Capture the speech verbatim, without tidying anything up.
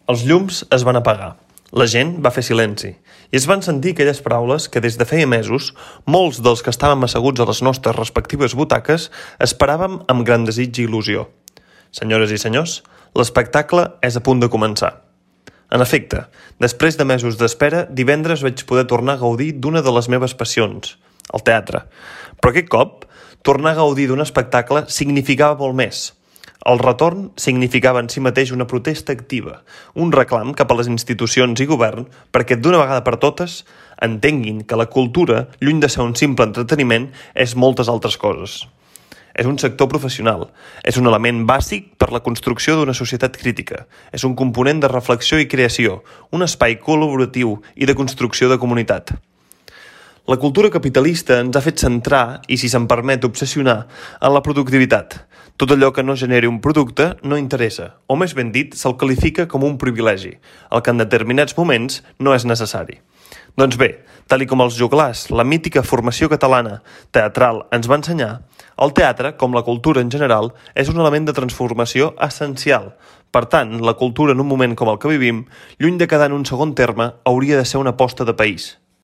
Els llums es van apagar. La gent va fer silenci i es van sentir aquelles paraules que des de feia mesos molts dels que estàvem asseguts a les nostres respectives butaques esperàvem amb gran desig i il·lusió. Senyores i senyors, l'espectacle és a punt de començar. En efecte, després de mesos d'espera, divendres vaig poder tornar a gaudir d'una de les meves passions, el teatre. Però aquest cop, tornar a gaudir d'un espectacle significava molt més. El retorn significava en si mateix una protesta activa, un reclam cap a les institucions i govern perquè d'una vegada per totes entenguin que la cultura, lluny de ser un simple entreteniment, és moltes altres coses. És un sector professional, és un element bàsic per la construcció d'una societat crítica, és un component de reflexió i creació, un espai col·laboratiu i de construcció de comunitat. La cultura capitalista ens ha fet centrar, i si se'n permet obsessionar, en la productivitat. Tot allò que no generi un producte no interessa, o més ben dit, se'l qualifica com un privilegi, el que en determinats moments no és necessari. Doncs bé, tal i com els joglars, la mítica formació catalana teatral ens va ensenyar, el teatre, com la cultura en general, és un element de transformació essencial. Per tant, la cultura en un moment com el que vivim, lluny de quedar en un segon terme, hauria de ser una aposta de país.